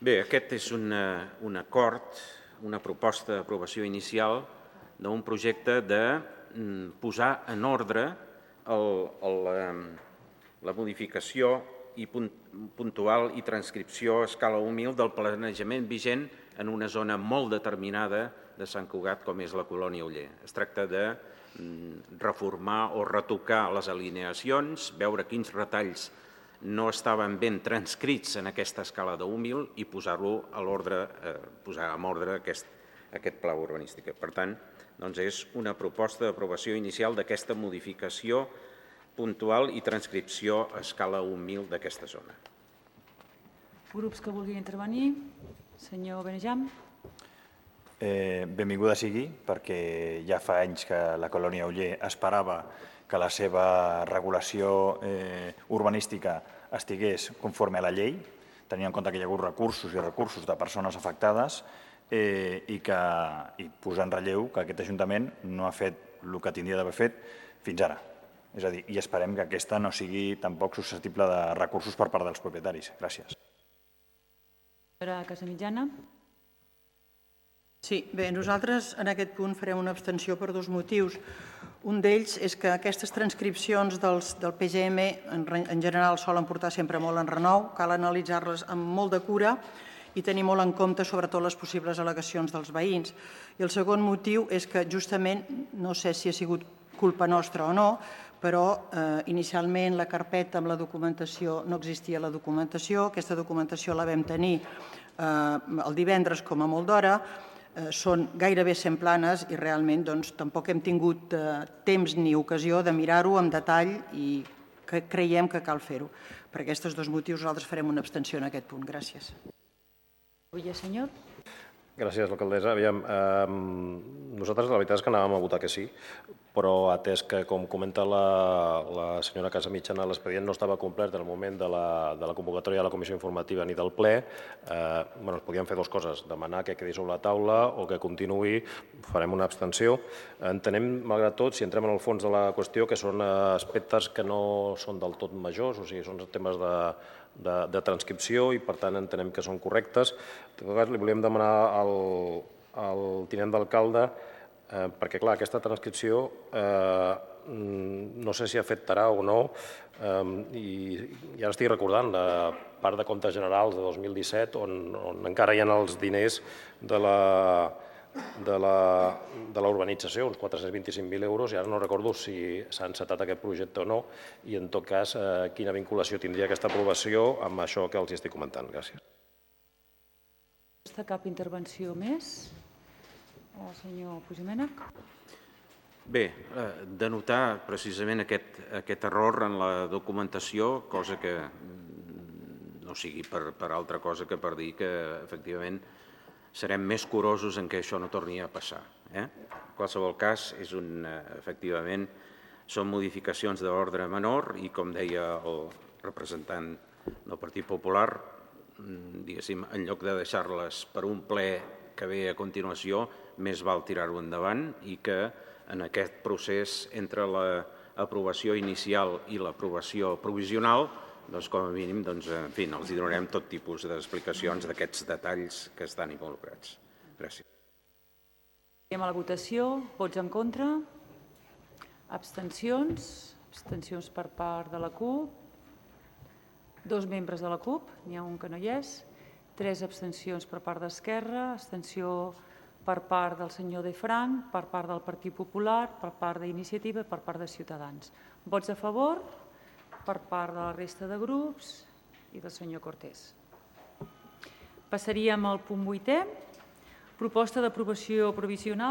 Bé, aquest és un acord, una proposta d'aprovació inicial d'un projecte de posar en ordre la modificació puntual i transcripció a escala humil del planejament vigent en una zona molt determinada de Sant Cugat com és la Colònia Oller. Es tracta de reformar o retocar les alineacions, veure quins retalls no estaven ben transcrits en aquesta escala d'humil i posar-lo a l'ordre, posar en ordre aquest pla urbanístic. Per tant, és una proposta d'aprovació inicial d'aquesta modificació puntual i transcripció a escala humil d'aquesta zona. Grups que vulguin intervenir. Senyor Benejam. Benvinguda sigui, perquè ja fa anys que la Colònia Oller esperava que la seva regulació urbanística estigués conforme a la llei, tenint en compte que hi ha hagut recursos i recursos de persones afectades i posar en relleu que aquest Ajuntament no ha fet el que tindria d'haver fet fins ara. És a dir, i esperem que aquesta no sigui tampoc susceptible de recursos per part dels propietaris. Gràcies. Senyora Casamitjana. Sí, bé, nosaltres en aquest punt farem una abstenció per dos motius. Un d'ells és que aquestes transcripcions del PGM en general solen portar sempre molt en renou, cal analitzar-les amb molt de cura i tenir molt en compte sobretot les possibles al·legacions dels veïns. I el segon motiu és que justament, no sé si ha sigut culpa nostra o no, però inicialment la carpeta amb la documentació no existia la documentació, aquesta documentació la vam tenir el divendres com a molt d'hora, són gairebé 100 planes i realment tampoc hem tingut temps ni ocasió de mirar-ho amb detall i creiem que cal fer-ho. Per aquests dos motius nosaltres farem una abstenció en aquest punt. Gràcies. Senyor. Gràcies, alcaldessa. Nosaltres la veritat és que anàvem a votar que sí, però atès que, com comenta la senyora Casamitjana, l'expedient no estava complet en el moment de la convocatòria de la comissió informativa ni del ple, es podien fer dues coses, demanar que quedi sobre la taula o que continuï, farem una abstenció. Entenem, malgrat tot, si entrem en el fons de la qüestió, que són aspectes que no són del tot majors, o sigui, són temes de transcripció i, per tant, entenem que són correctes. En tot cas, li volíem demanar al tinent d'alcalde perquè, clar, aquesta transcripció no sé si afectarà o no, i ara estic recordant la part de comptes generals de 2017 on encara hi ha els diners de la urbanització, uns 425.000 euros, i ara no recordo si s'ha encetat aquest projecte o no, i en tot cas quina vinculació tindria aquesta aprovació amb això que els estic comentant. Gràcies. Cap intervenció més? El senyor Puigdomènech. Bé, denotar precisament aquest error en la documentació, cosa que no sigui per altra cosa que per dir que efectivament serem més curosos en que això no torni a passar. En qualsevol cas, efectivament, són modificacions d'ordre menor i, com deia el representant del Partit Popular, diguéssim, en lloc de deixar-les per un ple que ve a continuació, més val tirar-ho endavant i que en aquest procés entre l'aprovació inicial i l'aprovació provisional, com a mínim, en fi, els donarem tot tipus d'explicacions d'aquests detalls que estan involucrats. Gràcies. Anem a la votació. Vots en contra? Abstencions? Abstencions per part de la CUP. 2 membres de la CUP, n'hi ha un que no hi és. 3 abstencions per part d'Esquerra, abstenció per part del senyor De Frank, per part del Partit Popular, per part d'Iniciativa i per part de Ciutadans. Vots a favor per part de la resta de grups i del senyor Cortés. Passaríem al punt 8è, proposta d'aprovació provisional